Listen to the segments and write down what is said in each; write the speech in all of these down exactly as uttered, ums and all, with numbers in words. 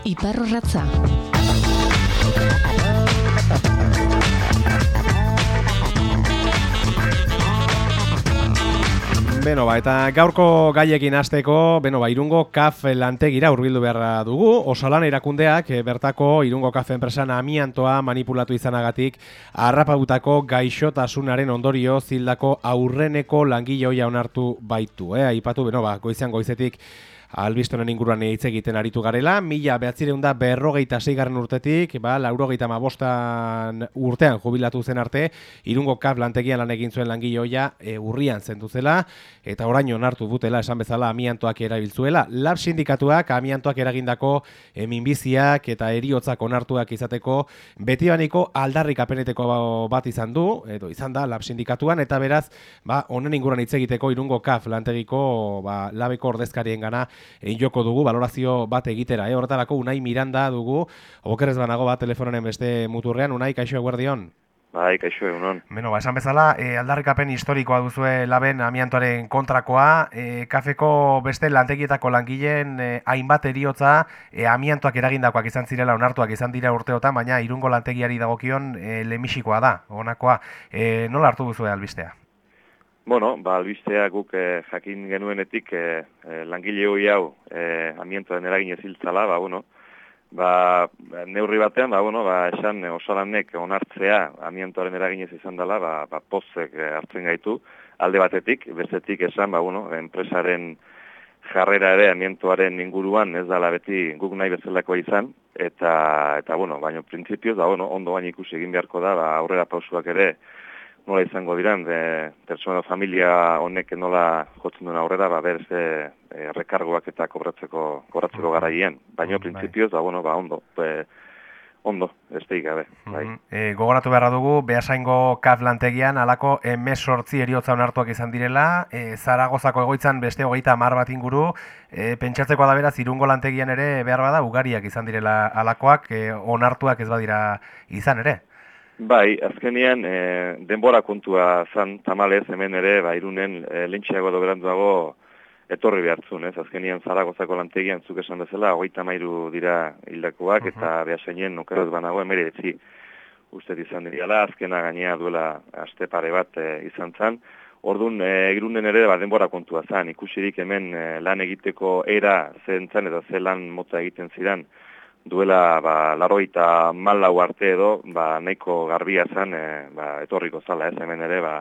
Iparrorratza. Beno, ba, eta gaurko gaiekin hasteko, beno, ba, Irungo Kaf lantegira hurbildu beharra dugu. Osalan erakundeak bertako Irungo Kaf enpresan amiantoa manipulatu izanagatik harrapatutako gaixotasunaren ondorio zildako aurreneko langile ohia onartu baitu. Eh? Aipatu, beno, ba, goizean goizetik albistonen inguruan hitz egiten aritu garela, mila behatzireun da berrogeita seigarren urtetik, ba, laurogeita hamabostan urtean jubilatu zen arte, Irungo Kaf lantegian lan egin zuen langile ohia e, urrian zendu zela, eta orain onartu dutela, esan bezala, amiantoak erabiltzuela. Lab sindikatuak amiantoak eragindako e, minbiziak eta heriotzak onartuak izateko betibaniko aldarrikapeneteko bat izan du, edo izan da Lab sindikatuan, eta beraz, ba, honen inguruan hitz egiteko Irungo Kaf lantegiko ba, labeko ordezkarien gana egin joko dugu, valorazio bat egitera. Eh? Horretarako Unai Miranda dugu, okerrez banago bat telefononen beste muturrean. Unai, kaixo eguerdion? Bai, kaixo egunon. Beno, ba, esan bezala, e, aldarrikapen historikoa duzue laben amiantoaren kontrakoa, e, kafeko beste lantegietako langileen e, hainbat heriotza e, amiantoak eragindakoak izan zirela onartuak izan dira urteotan, baina Irungo lantegiari dagokion e, lehenbizikoa da, honakoa. E, nola hartu duzue albistea? Bueno, ba, albistea guk eh, jakin genuenetik eh, eh, langile hoi hau eh, amiantoaren eragin eziltzala, ba, bueno, ba, neurri batean, ba, bueno, ba, esan eh, osalanek onartzea amiantoaren eragin ez izan dela, ba, ba, pozek eh, hartzen gaitu, alde batetik, bestetik esan, ba, bueno, enpresaren jarrera ere amiantoaren inguruan ez dela beti guk nahi bezalakoa izan, eta, eta bueno, baina printzipioz, ba, bueno, ondo baina ikusi egin beharko da, ba, aurrera pausuak ere, nola izango diran, de, persona familia honek nola jotzen duen aurrera, ba, berz e, e, rekargoak eta kobratzeko, kobratzeko garaien. Baina, printzipioz, ba, bueno, ba, ondo, e, ondo, ez teik gabe. Bai. E, gogoratu beharra dugu, Beasaingo Kaf lantegian, alako hemezortzi heriotza onartuak izan direla, e, Zaragozako egoitzan beste hogeita hamar bat inguru, e, pentsatzeko da beraz, Irungo lantegian ere behar bada, ugariak izan direla alakoak, e, onartuak ez badira izan ere. Bai, azkenean e, denbora kontua zan tamalez hemen ere, ba, Irunen e, lentxeago edo beranduago etorri behartzun, ez? Azkenean Zaragozako lantegian zuk esan bezala, hogeita hamairu dira hildakoak, uh-huh. Eta Beasainen okerrez banago emeretzi uste izan diriala, azkena gainea duela aste pare bat e, izan zan. Orduan, e, Irunen ere ba, denbora kontua zan, ikusirik hemen e, lan egiteko era zen zan eta ze lan mota egiten zidan, duela ba, laroita malau arte edo ba, nahiko garbia zen e, ba, etorriko zala ez hemen ere ba,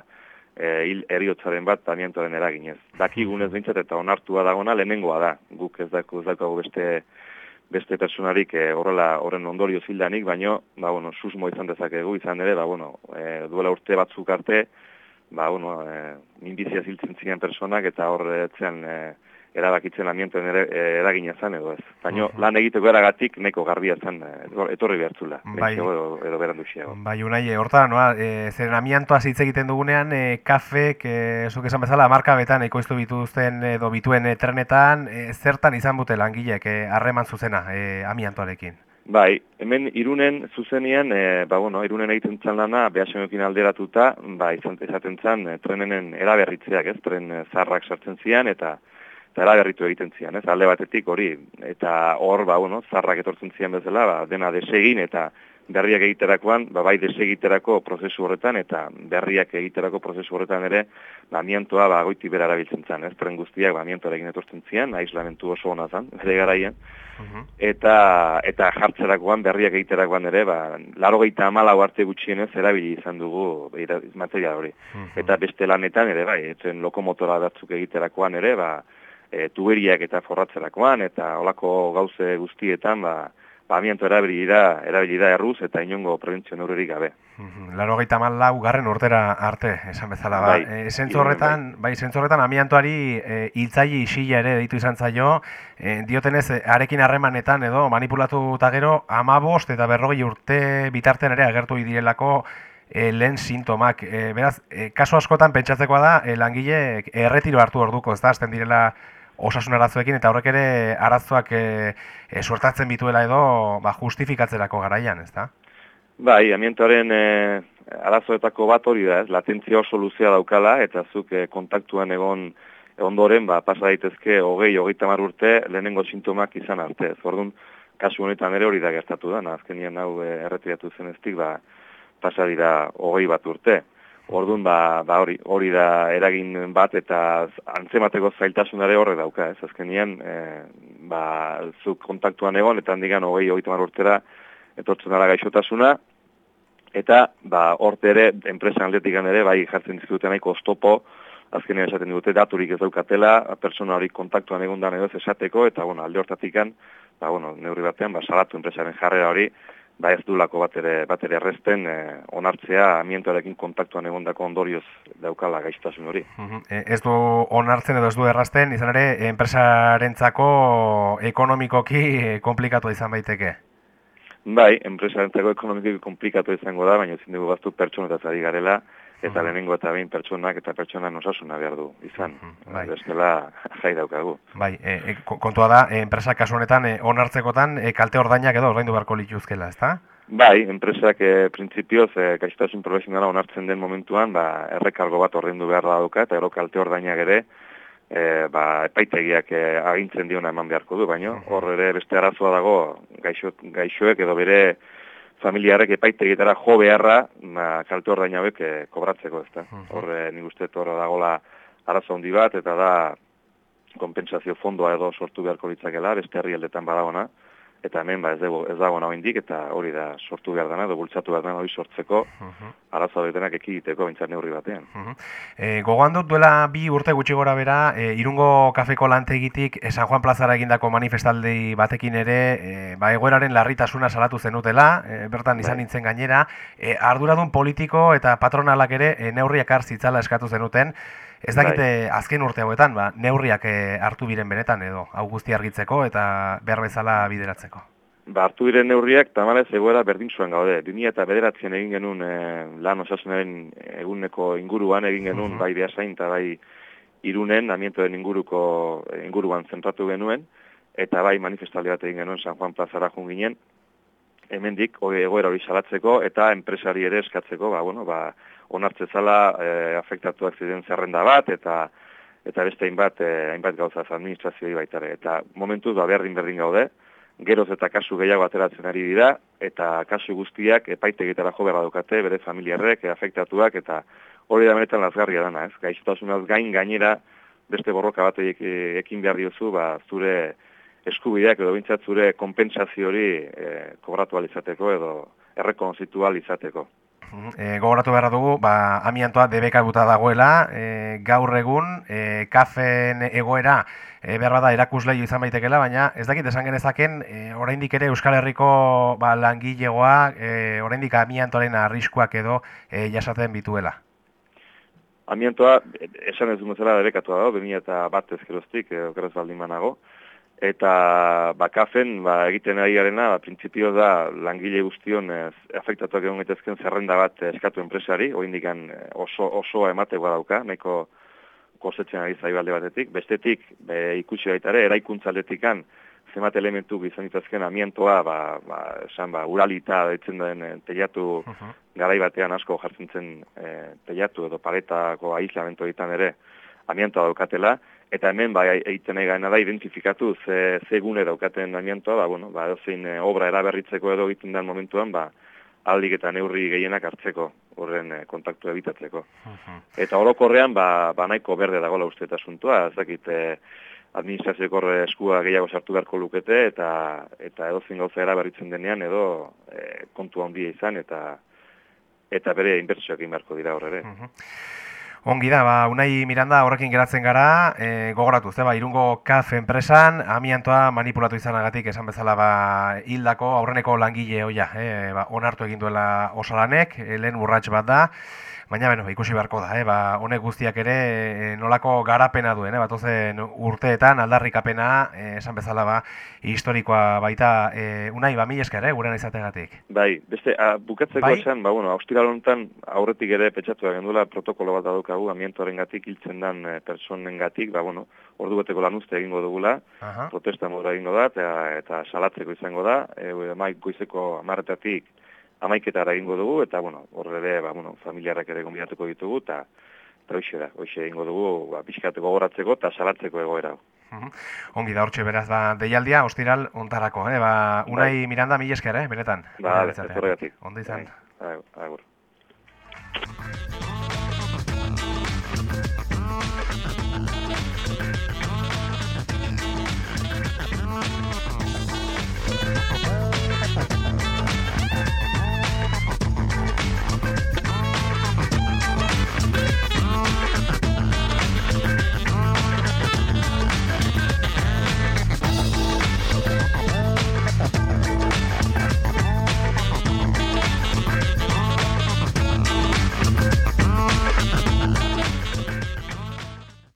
e, hil eriotzaren bat amiantoaren eraginez. Dakigunez bintzat eta onartua dagona lehenengoa da. Guk ez dago beste beste personarik e, horrela horren ondorio zildanik, baino ba, bueno, susmo izan dezakegu izan ere, ba, bueno, e, duela urte batzuk arte, ba, bueno, e, minbizia ziltzen ziren personak eta horretzean e, erabakitzen amiantoen ere, eragina zen edo ez. Baina uh-huh. Lan egiteko eragatik neko garbia zen etorri behartzula. Bai, edo, edo beranduxiago. Bai, Unai, horta, noa, e, zeren amiantoaz hitz egiten dugunean, e, kafek, e, zuk esan bezala, marka betan ekoiztu bituzten edo bituen e, trenetan, e, zertan izan bute langileek harreman e, zuzena e, amiantoarekin? Bai, hemen Irunen zuzenean, e, ba, bueno, Irunen egiten txan lana, Beasainoekin alderatuta, ba, izan, izaten txan, e, trenenen eraberritzeak, ez, tren e, zarrak sartzen zian, eta eta eraberritu egiten zian, ez, alde batetik hori, eta hor, ba, bueno, zarrak etortzen zian bezala, ba, dena desegin, eta berriak egiterakoan, ba, bai desegiterako prozesu horretan, eta berriak egiterako prozesu horretan ere, ba, amiantoa, ba, goiti bera erabiltzen zen, ez, tren guztiak, ba, amiantoarekin etortzen zian, aislamentu oso hona zen, bere garaien, uh-huh. eta, eta jartzerakoan, berriak egiterakoan ere, ba, laurogeita hamalau arte gutxienez erabili izan dugu material hori. Uh-huh. Eta beste lanetan ere, bai, etzen lokomotora batzuk egiterakoan ere, ba, E, tuberiak eta forratzerakoan, eta olako gauze guztietan, ba, ba amianto erabili da, erabili da erruz, eta inongo prebentzio neurririk gabe. Laurogeita hamalau garren urtera arte, esan bezala, ba. Bai, e, zentzu horretan, bai, zentzu horretan amiantoari e, hiltzaile isila ere deitu izan zaio, e, diotenez, arekin harremanetan edo manipulatu eta gero, amabost eta berrogei urte bitartean ere agertu direlako E, lehen sintomak. E, beraz, e, kasu askotan pentsatzekoa da, e, langile erretiro hartu orduko, ez da, azten direla osasun arazoekin, eta horrek ere arazoak e, e, suertatzen bituela edo ba, justifikatzerako garaian, ez da? Bai, amiantoaren e, arazoetako bat hori da, ez, latentzia oso luzea daukala, eta zuk e, kontaktuan egon ondoren, ba, pasa daitezke hogei, hogeita hamar urte lehenengo sintomak izan arte. Ez, orduan, kasu honetan ere hori da gertatu da, azkenean hau erretiratu zeneztik, ba, pasa dira hogei bat urte. Orduan, ba, ba hori, hori da eragin bat eta antzemateko zailtasunare horre dauka, ez? Azkenean, e, ba, zuk kontaktuan egon, eta handigan hogei, hogei tamar urtera etortzen dara gaixotasuna, eta ba, horte ere, enpresan aldetikan ere, bai jartzen dizkuten nahiko oztopo, azkenean esaten dute daturik ez daukatela, persona hori kontaktuan egondan edo ez esateko, eta bueno, alde hortatikan, ba, bueno, neurri batean, ba, salatu enpresaren jarrera hori, ba ez dulako bat ere, bat ere errezten eh, onartzea amiantoarekin kontaktuan egondako ondorioz daukala gaixotasun hori. Uh-huh. E, ez du onartzen edo ez du errazten, izan ere, enpresarentzako ekonomikoki komplikatu izan baiteke? Bai, enpresarentzako ekonomikoki komplikatu izango da, baina ezin dugu baztu pertsonetaz ari garela, eta lehenengo eta behin pertsonak eta pertsonan osasuna behar du izan. Bai. Bestela jai daukagu. Bai, e, kontua da, e, enpresa kasu honetan e, onartzekotan e, kalte ordainak edo ordaindu beharko lituzkela, ezta? Bai, enpresak e, printzipioz e, gaixotasun profesionala onartzen den momentuan, ba, errekargo bat ordaindu beharra dauka, eta gero kalte ordainak ere, e, ba, epaitegiak e, agintzen diona eman beharko du, baino hor ere beste arazoa dago gaixo, gaixoek edo bere familiarrek epaitegietara jo beharra, ma, kalte ordain hauek e, kobratzeko, ezta. Hor, e, nik uste horra dagoela arazo handi bat, eta da kompensazio fondoa edo sortu beharko litzakela, beste herrialdetan badagona, eta hemen ba, ez, dago, ez dago nago indik, eta hori da sortu behar dena, edo bultzatu behar dena hori sortzeko, uh-huh. arazo horretenak ekiditeko bintzat neurri batean. Uh-huh. e, Gogoan dut duela bi urte gutxi gora bera, e, Irungo kafeko lantegitik e, San Juan plazara egindako manifestaldi batekin ere, e, ba, egoeraren larritasuna salatu zenutela, e, bertan izan nintzen gainera, e, arduradun politiko eta patronalak ere e, neurriak har zitzala eskatu zenuten. Ez dakite azken urte hauetan, ba, neurriak e, hartu biren benetan edo, hau guzti argitzeko eta behar bezala bideratzeko. Ba, hartu biren neurriak, tamalez egoera berdin zuen gaude. bi mila bederatzen egin genuen e, lan osasunaren eguneko inguruan egin genuen, uh-huh. bai Beasain eta bai Irunen, amientoen inguruko inguruan zentratu genuen, eta bai manifestaldi bat egin genuen San Juan plazara jun ginen, hemendik egoera hori salatzeko eta enpresari ere eskatzeko, ba, bueno, ba, onartzezala e, afektatuak ziren zerrenda bat, eta eta beste hainbat, e, hainbat gauzaz administrazioi baitare. Eta momentuz, ba, berdin berdin gaude, geroz eta kasu gehiago ateratzen ari dira, eta kasu guztiak epaitegitara jo beharra dukate, bere familiarrek, e, afektatuak, eta hori da benetan lazgarria dana, ez? Gaixotasunaz gain gainera, beste borroka bat ekin behar diozu, ba, zure eskubideak edo bintzat zure kompensazio hori e, kobratu alizateko edo errekonozitu alizateko. E, gogoratu behar dugu, ba, amiantoa debekaguta dagoela, e, gaur egun, e, kafen egoera e, behar bada erakusleio izan baitekela, baina ez dakit esan genezaken, e, oraindik ere Euskal Herriko ba, langilegoa, e, oraindik amiantoaren arriskuak edo e, jasaten bituela. Amiantoa, esan ez dut zela debekatua dago, bi mila bat ezkeroztik, e, okeraz baldin banago, eta ba, kafen ba, egiten ari garena, ba, printzipio da langile guztion ez, afektatuak egon gaitezken zerrenda bat eskatu enpresari, oindikan oso, osoa ematekoa dauka, nahiko kosetzen ari zaibalde batetik. Bestetik, be, ikusi baitare, eraikuntza aldetikan, zemat elementu izan ditazken amiantoa, ba, ba, esan, ba, uralita ditzen den teiatu uh-huh. garai batean asko jartzen zen e, teiatu edo paretako aislamentu egiten ere amiantoa daukatela, eta hemen ba, egiten nahi gaena da identifikatu ze, ze gune daukaten amiantoa, ba, bueno, ba, edozein e, obra eraberritzeko edo egiten den momentuan, ba, aldik eta neurri gehienak hartzeko, horren e, kontaktu ebitatzeko. Uh-huh. Eta orokorrean, ba, ba nahiko berde dagoela uste eta asuntua, ez dakit e, administrazioeko eskua gehiago sartu beharko lukete, eta eta edozein gauza eraberritzen denean, edo e, kontu handia izan, eta eta bere inbertsioak egin beharko dira horre ere. Uh-huh. Ongi da, ba, Unai Miranda horrekin geratzen gara, e, gogoratu, ze, ba, Irungo Kaf enpresan, amiantoa manipulatu izanagatik esan bezala ba, hildako aurreneko langile hoia, e, ba, onartu egin duela osalanek, e, lehen urrats bat da, baina beno, ikusi beharko da, eh? Ba, honek guztiak ere e, nolako garapena duen, eh? Batozen urteetan aldarrikapena, e, esan bezala ba, historikoa baita, e, Unai, ba, mil esker, eh? Gurean izategatik. Bai, beste, a, bukatzeko bai? Esan, ba, bueno, austiral honetan aurretik ere petxatu agendula protokolo bat daukagu, amiantoaren gatik hiltzen dan e, personen gatik, ba, bueno, ordu beteko lan uste egingo dugula, Aha. protesta modura egingo da, eta, eta salatzeko izango da, e, maik goizeko amarretatik amaiketara egingo dugu, eta, bueno, horre ere, ba, bueno, familiarrak ere gonbidatuko ditugu, eta hoxe da, hoxe egingo dugu, ba, pixkateko goratzeko eta salatzeko egoera. Ongi da hortxe beraz ba, deialdia, ostiral ontarako, eh? Ba, Unai bai. Miranda, mil esker, eh? Benetan. Ba, ez horregatik. Ondo izan. Agur.